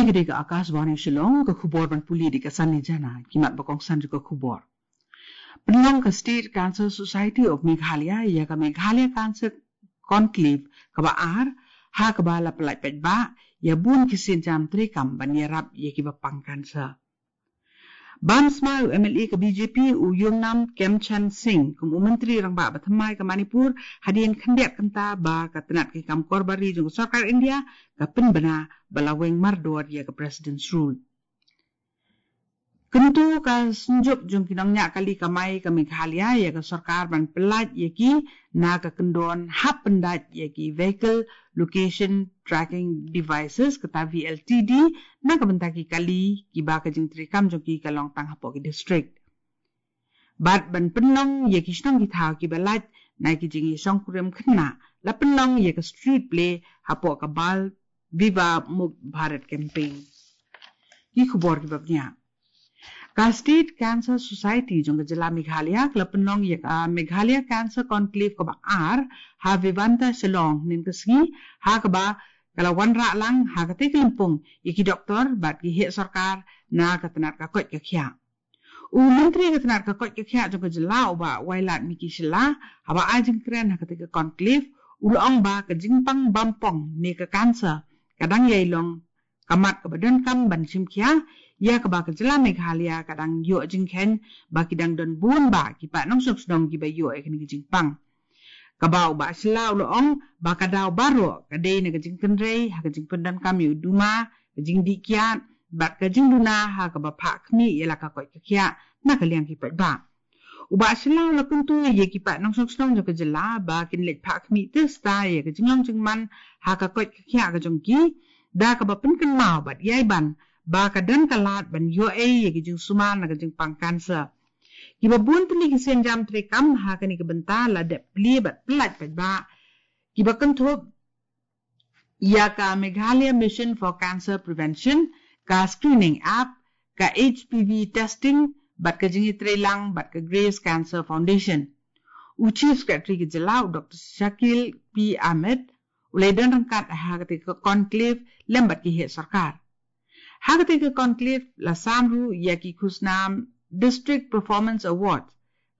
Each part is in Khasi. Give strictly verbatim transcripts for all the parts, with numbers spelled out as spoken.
Ka dei ka Akashvani Shillong, ka khubor ban pule da ka Sani Jana, ki mat ba kongsan jong ka khubor. Pynlong ka State Cancer Society of Meghalaya ïa ka Meghalaya Cancer Conclave kaba ar, ha kaba la pyllait paidbah ïa bun ki sienjam treikam ban ïarap ïa kiba pang cancer. Bam smai u M L A ka B J P u Yumnam Khemchand Singh kum u Myntri Rangbah ba thymmai ka Manipur, hadien khyndiat kynta ba ka tnat ki kam korbari jong ka sorkar India ka pynbna ba la weng mardor ïa ka President's Rule. Kyntu ka Synjuk jong ki nongñiah kali kamai ka Meghalaya ïa ka sorkar ban pyllait ïa ki na ka kyndon hap pyndait ïa ki Vehicle Location Tracking Devices, kata V L T D, na ka bynta ki kali kiba ka jingtreikam jong ki ka long tang hapoh ki district. Bad ban pynlong ïa ki shnong ki thaw kiba lait na ki jingïashongkurim khynnah, la pynlong ïa ka street play hapoh ka Bal Vivah Mukt Bharat Campaign. Ki khubor kiba bniah. Ka State Cancer Society jong ka jylla Meghalaya ka la pynlong ïa ka Meghalaya Cancer Conclave kaba ar ha Vivanta Shillong hynnin ka sngi, ha kaba ka la wanrah lang ha katei ka lympung ïa ki doktor bad ki heh sorkar na ka tnat ka koit ka khiah. U Myntri ka tnat ka koit ka khiah jong ka jylla u Bah Wailadmiki Shylla, haba ai jingkren ha katei ka conclave, u la ong ba ka jingpang bampong ne ka cancer ka dang ïai long ka mat kaba donkam ban shim khia, ïa kaba ka jylla Meghalaya ka dang ïoh jingkheiñ ba ki dang don bun bah ki paid nongshong shnong kiba ïoh ïa kane ka jingpang. Kaba u Bah Shylla u la ong ba ka daw baroh ka dei na ka jingkynrei ha ka jingpyndonkam ïa u duma, ka jingdih kiad bad ka jingduna ha kaba phah khmih ïa la ka koit ka khiah na ka liang ki paidbah. U Bah Shylla u la kyntu ïa ki paid nongshong shnong jong ka jylla ba kin leit phah khmih tista ïa ka jinglong jingman ha ka koit ka khiah ka jong ki, da kaba pynkynmaw bad ïai ban ba ka don ka lad ban ïoh ei ïa ki jingsumar na ka jingpang cancer. Kiba bun tylli ki sienjam treikam ha kane ka bynta la dep plie bad pyllait paidbah. Kiba kynthup ïa ka Meghalaya Mission for Cancer Prevention, ka screening app, ka H P V testing, bad ka jingïatreilang bad ka Grace Cancer Foundation. U Chief Secretary ka jylla u Doktor Shakil P Ahmed u la ïadon ryngkat ha katei ka conclave lem bad ki heh sorkar. Ha katei ka conclave la sam ruh ïa ki khusnam District Performance Award,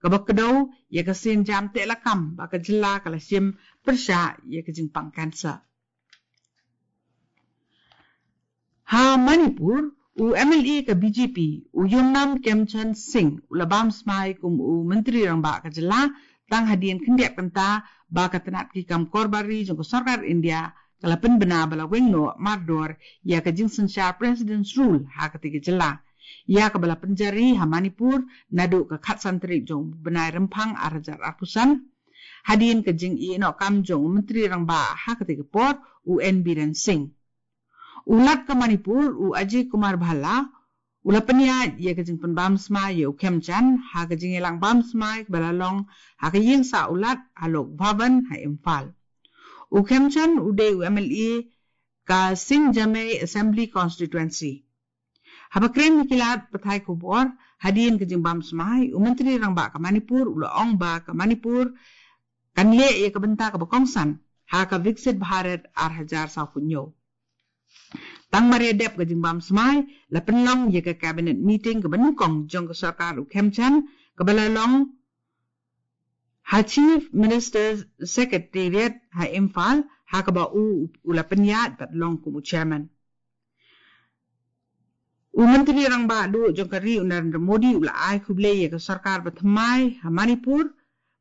kaba kdew ïa ka sienjam teh lakam ba ka jylla ka la shim pyrshah ïa ka jingpang cancer. Ha Manipur, u M L A ka B J P, u Yumnam Khemchand Singh, u la bam smai kum u Myntri Rangbah ka jylla, tang hadien khyndiat kynta ba ka tnat ki kam korbari jong ka sorkar India ka la pynbna ba la weng noh mardor ïa ka jingsynshar President's Rule ha katei ka jylla, ïa kaba la pynjari ha Manipur naduh ka khatsan tarik jong u bnai Rymphang ar hajar arphew san, hadien ka jingïehnoh kam jong u Myntri Rangbah ha katei ka por, u N Biren Singh. U Lat ka Manipur, u Ajay Kumar Bhalla, u la pynïaid ïa ka jingpynbam smai ïa u Khemchand ha ka jingïalang bam smai kaba la long ha ka ïing sah u Lat ha Lok Bhavan ha Imphal. U Khemchand u dei u M L A ka Singjamei Assembly Constituency. Haba kren ïa ki lad pathai khubor hadien ka jingbam smai, u Myntri Rangbah ka Manipur u la ong ba ka Manipur kan leh ïa ka bynta kaba kongsan ha ka Viksit Bharat ar hajar sawphew hynñiew. Tang mar ïa dep ka jingbam smai, la pynlong ïa ka cabinet meeting kaba nyngkong jong ka sorkar u Khemchand, kaba la long ha Chief Minister's Secretariat ha Imphal, ha kaba u, u la pynïaid bad long kum u chairman. U Myntri Rangbah Duh jong ka ri u Narendra Modi u la ai khublei ïa ka sorkar ba thymmai ha Manipur,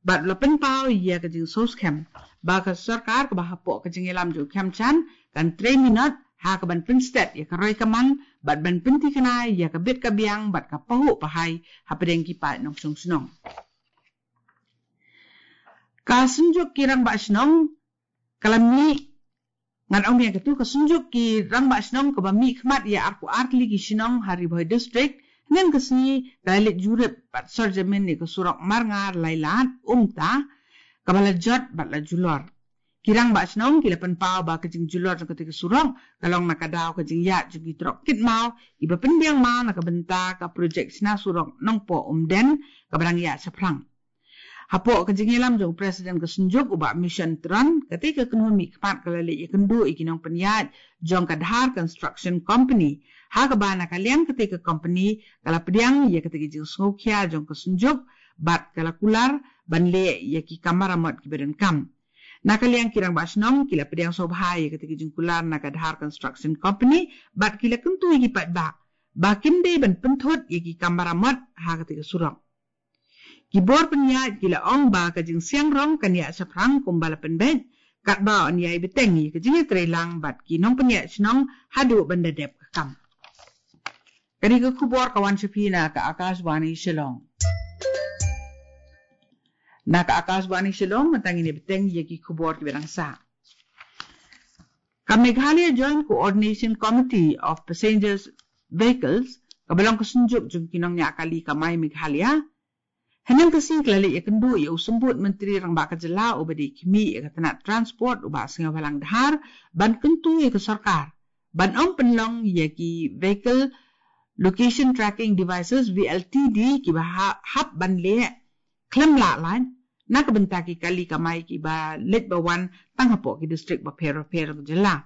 bad u la pynpaw ïa ka jingsngewskhem ba ka sorkar kaba hapoh ka jingïalam jong u Khemchand kan trei minot ha kaban pynstet ïa ka roi ka man bad ban pynthikna ïa ka bit ka biang bad ka pahuh pahai hapdeng ki paid nongshong shnong. Ka Synjuk ki Rangbah Shnong ka la mih, ngan ong biang katu, ka Synjuk ki Rangbah Shnong kaba mihkhmat ïa arphew ar tylli ki shnong ha Ri Bhoi District, hynnin ka sngi ka la leit jurip bad sor jamin ïa ka surok Marngar Lailad Umta, kaba la jot bad la julor. Ki Rangbah Shnong ki la pynpaw ba ka jingjulor jong katei ka surok ka long na ka daw ka jingïaid jong ki trok kit maw kiba pynbiang maw na ka bynta ka projek shna surok Nongpoh Umden, kaba dang ïaid shaphrang. Hapoh ka jingïalam jong u President ka Synjuk u Bah Mission Tron, kata ka kynhun mihkhmat ka la leit ïakynduh ïa ki nongpynïaid jong ka Dhar Construction Company. Ha kaba na ka liang kata ka company ka la pdiang ïa kata ka jingsngewkhia jong ka Synjuk bad ka la kular ban leh ïa ki kam maramot kiba donkam. Na ka liang ki rangbah shnong ki la pdiang sngewbha ïa kata ka jingkular na ka Dhar Construction Company bad ki la kyntu ïa ki paidbah ba kim dei ban pynthut ïa ki kam maramot ha kata ka surok. Ki bor pynïaid ki la ong ba ka jingsiang rong kan ïaid shaphrang kumba la pynbeit, katba yn ïai bteng ïa ka jingïatreilang bad ki nongpynïaid shnong haduh ban da dep ka kam. Kane ka khubor ka wan sha phi na ka Akashvani Shillong. Na ka Akashvani Shillong, mynta ngin ïa bteng ïa ki khubor kiba dang sah. Ka Meghalaya Joint Coordination Committee of Passengers Vehicles, kaba long ka Synjuk jong ki nongñiah kali kamai Meghalaya, hynne ka sngi ka la leit ïakynduh ïa u Symbud Myntri Rangbah ka Jylla uba dei khmih ïa ka tnat transport u Bah Sniawbhalang Dhar ban kyntu ïa ka sorkar ban ym pynlong ïa ki Vehicle Location Tracking Devices, V L T D, kiba ha-, hap ban leh khlem lah lait na ka bynta ki kali kamai kiba leit ba wan tang hapoh ki distrik bapher bapher ka jylla.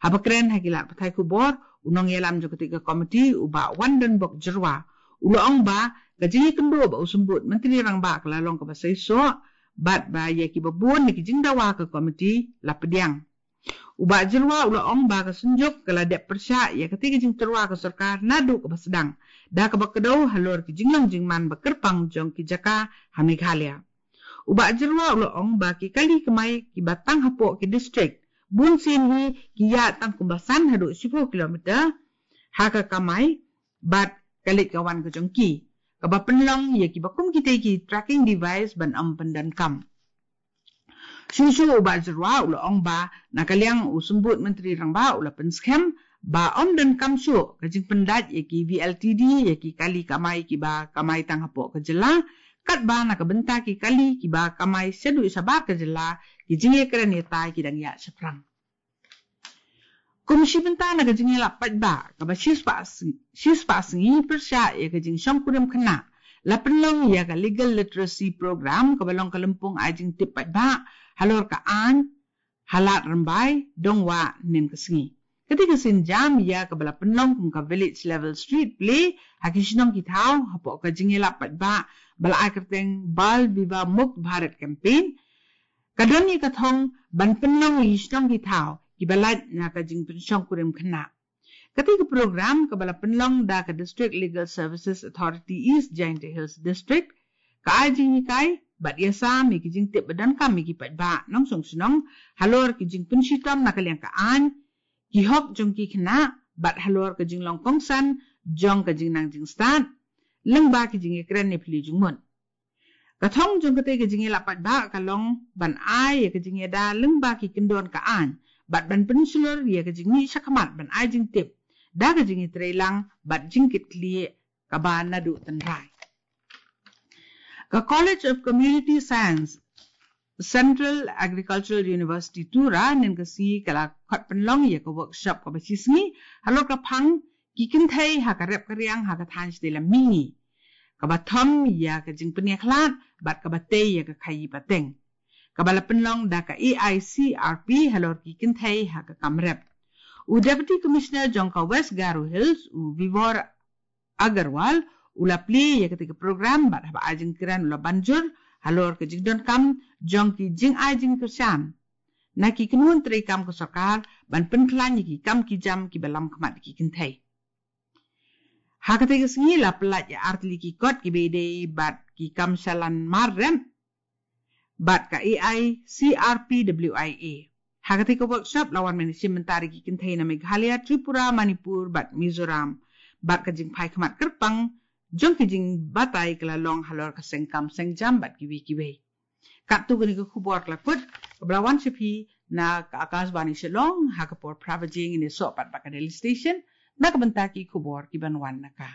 Haba kren ha ki lad pathai khubor, u nongïalam jong kata ka komiti u Bah Wandonbok Jyrwa u la ong ba ka jingïakynduh bad u Symbud Myntri Rangbah ka la long kaba seisoh bad ba ïa kiba bun na ki jingdawa ka komiti la pdiang. U Bah Jyrwa u la ong ba ka Synjuk ka la dep pyrshah ïa kata ka jingtyrwa ka sorkar naduh kaba sdang da kaba kdew halor ki jinglong jingman ba kyrpang jong ki jaka ha Meghalaya. U Bah Jyrwa u la ong ba ki kali kamai kiba tang hapoh ki distrik bun sien hi ki ïaid tang kumba san haduh shiphew kilometer ha ka kamai bad ka leit ka wan ka jong ki, kaba pynlong ïa kiba kum kita ki tracking device ban ym pyndonkam. Shuh shuh u Bah Jyrwa u la ong ba na ka liang u Symbud Myntri Rangbah u la pynskhem ba ym donkam shuh ka jingpyndait ïa ki V L T D ïa ki kali kamai kiba kamai tang hapoh ka jylla, katba na ka bynta ki kali kiba kamai shaduh shabar ka jylla ki jingïakren ïatai ki dang ïaid shaphrang. Kum shi bynta na ka jingïalap paidbah kaba shispah sngi, shispah sngi pyrshah ïa ka jingshongkurim khynnah, la pynlong ïa ka Legal Literacy Program kaba long ka lympung ai jingtip paidbah halor ka aiñ ha Lad Rymbai, Dongwah, hynne ka sngi. Kata ka sienjam ïa kaba la pynlong kum ka Village Level Street Play ha ki shnong ki thaw hapoh ka jingïalap paidbah ba la ai kyrteng Bal Vivah Mukt Bharat Campaign, ka don ïa ka thong ban pynlong ïa ki shnong ki thaw kiba lait na ka jingpynshongkurim khynnah. Kata ka program kaba la pynlong da ka District Legal Services Authority East Jaintia Hills District, ka ai jinghikai bad ïasam ïa ki jingtip ba donkam ïa ki paidbah nongshong shnong halor ki jingpynshitom na ka liang ka aiñ, ki hok jong ki khynnah bad halor ka jinglong kongsan jong ka jingnang jingstad lyngba ki jingïakren ne pli jingmut. Ka thong jong kata ka jingïalap paidbah ka long ban ai ïa ka jingïada lyngba ki kyndon ka aiñ bad ban pynshlur ïa ka jingmih shakhmat ban ai jingtip da ka jingïatreilang bad jingkitkhlieh kaba naduh tynrai. Ka College of Community Science, Central Agricultural University Tura, hynne ka sngi ka la khot pynlong ïa ka workshop kaba shi sngi halor ka phang ki kynthei ha ka rep ka riang ha ka thaiñ shatei lam mihngi, kaba thom ïa ka jingpynïakhlad bad kaba tei ïa ka khaïi pateng, kaba la pynlong da ka A I C R P halor ki kynthei ha ka kam rep. U Deputy Commissioner jong ka West Garo Hills, u Vibhor Agarwal, u la plie ïa kata ka program bad haba ai jingkren u la ban jur halor ka jingdonkam jong ki jingai jingkyrshan na ki kynhun treikam ka sorkar ban pynkhlaiñ ïa ki kam ki jam kiba lam khmat ki kynthei. Ha kata ka sngi la pyllait ïa artylli ki kot kiba ïadei bad ki kam shalan mar rep bad ka A I C R P W I A. Ha kata ka workshop la wan ban ïashim bynta da ki kynthei na Meghalaya, Tripura, Manipur bad Mizoram, bad ka jingphai khmat kyrpang jong ki jingbatai ka la long halor ka seng kam seng jam bad kiwei kiwei. Katto kane ka khubor ka la kut, kaba la wan sha phi na ka Akashvani Shillong. Ha ka por phra baje ngin ïasoh pat bad ka Delhi Station na ka bynta ki khubor kiban wan na ka